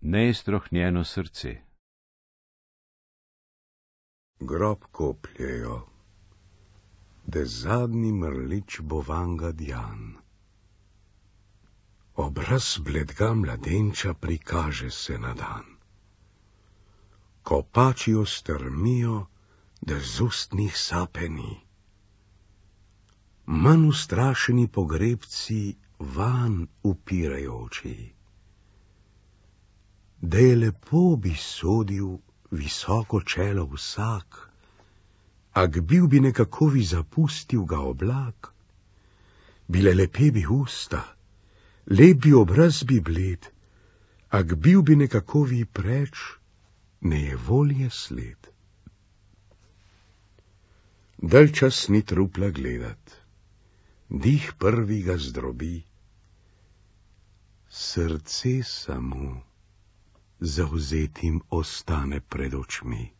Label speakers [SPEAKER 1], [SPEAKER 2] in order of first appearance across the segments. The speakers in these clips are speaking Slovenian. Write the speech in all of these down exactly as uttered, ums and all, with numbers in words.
[SPEAKER 1] neiztrohnjeno srce.
[SPEAKER 2] Grob kopljejo, da zadnji mrlič bo vanga djan. Obraz bledga mladenča prikaže se na dan. Kopačijo strmijo, da z ust njih sape ni. Manj ustrašeni pogrebci van upirajo oči. Da je lepo bi sodil visoko čelo vsak, ak bil bi nekakovi zapustil ga oblak, bile lepe bi usta, lep bi obraz bi bled, ak bil bi nekakovi preč, ne je volje sled. Dalj čas ni trupla gledat, dih prvi ga zdrobi, srce samo zavzetim ostane pred očmi.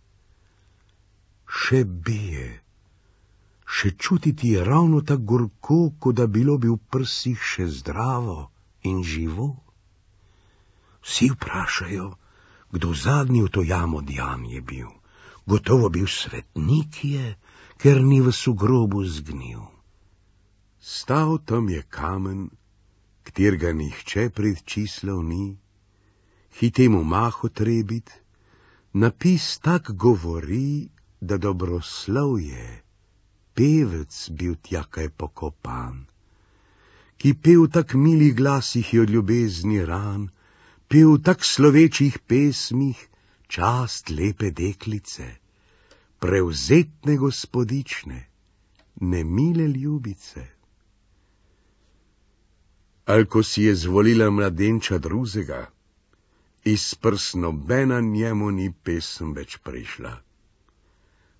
[SPEAKER 2] Še bije, še čutiti je ravno tak gorko, kot da bilo bi v prsih še zdravo in živo. Vsi vprašajo, kdo zadnji v to jamo djan je bil. Gotovo bil svetnik je, ker ni v sugrobu zgnil. Stal tam je kamen, kjer ga nihče pred čislov ni, hitemu maho trebit, napis tak govori, da dobroslov je, pevec bil tja kaj pokopan, ki pev tak milih glasih od ljubezni ran, pev tak slovečih pesmih čast lepe deklice, prevzetne gospodične, nemile ljubice. Al ko si je zvolila mladenča drugega, iz prst nobena njemu ni pesem več prišla.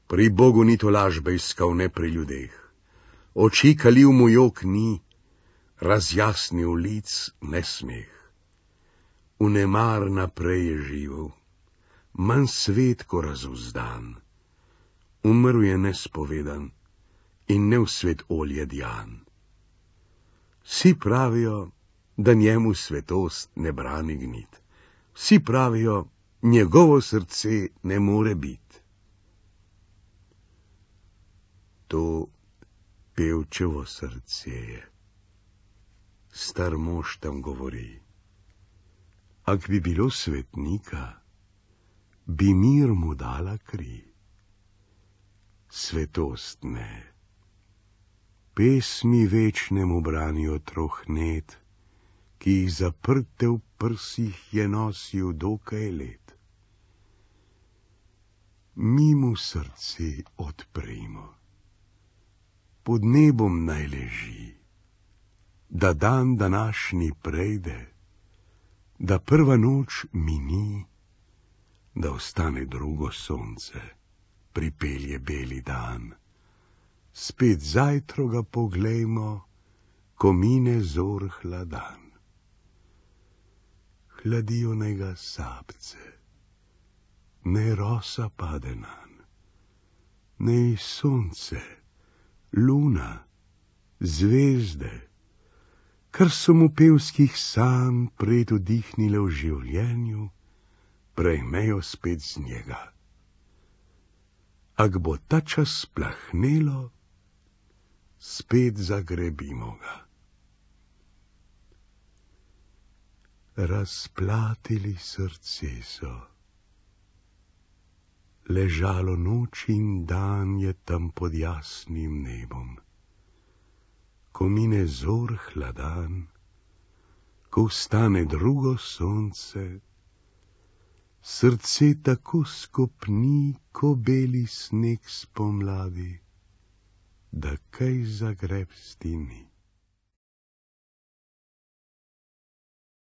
[SPEAKER 2] Pri Bogu ni to lažbe iskal, ne pri ljudeh. Oči kalil mu jok ni, razjasnil lic ne smeh. Vnemar naprej je živel, manj svet ko razuzdan. Umrl je nespovedan in ne v svet olje djan. Vsi pravijo, da njemu svetost ne brani gnit. Vsi pravijo, njegovo srce ne more bit. To pevčevo srce je. Star mož tam govori. Ak bi bilo svetnika, bi mir mu dala kri. Svetost ne. Pesmi večnemu branijo trohnet, ki jih zaprte v prsih je nosil dokaj let. Mi mu srce odprimo, pod nebom naj leži, da dan današnji prejde, da prva noč mini, da ostane drugo sonce, pripelje beli dan. Spet zajtro ga poglejmo, ko mine zor hladan. Hladijo naj ga sapce, ne rosa pade nanj, ne sonce, luna, zvezde, kar so mu pevskih sanj pred vdihnile v življenju, prejmejo spet z njega. Ak bo ta čas plahnelo, spet zagrebimo ga. Razplatili srce so, ležalo noč in dan je tam pod jasnim nebom. Ko mine zor hladan, ko vstane drugo sonce, srce tako skopni, ko beli sneg spomladi, da kaj zagrebsti ni.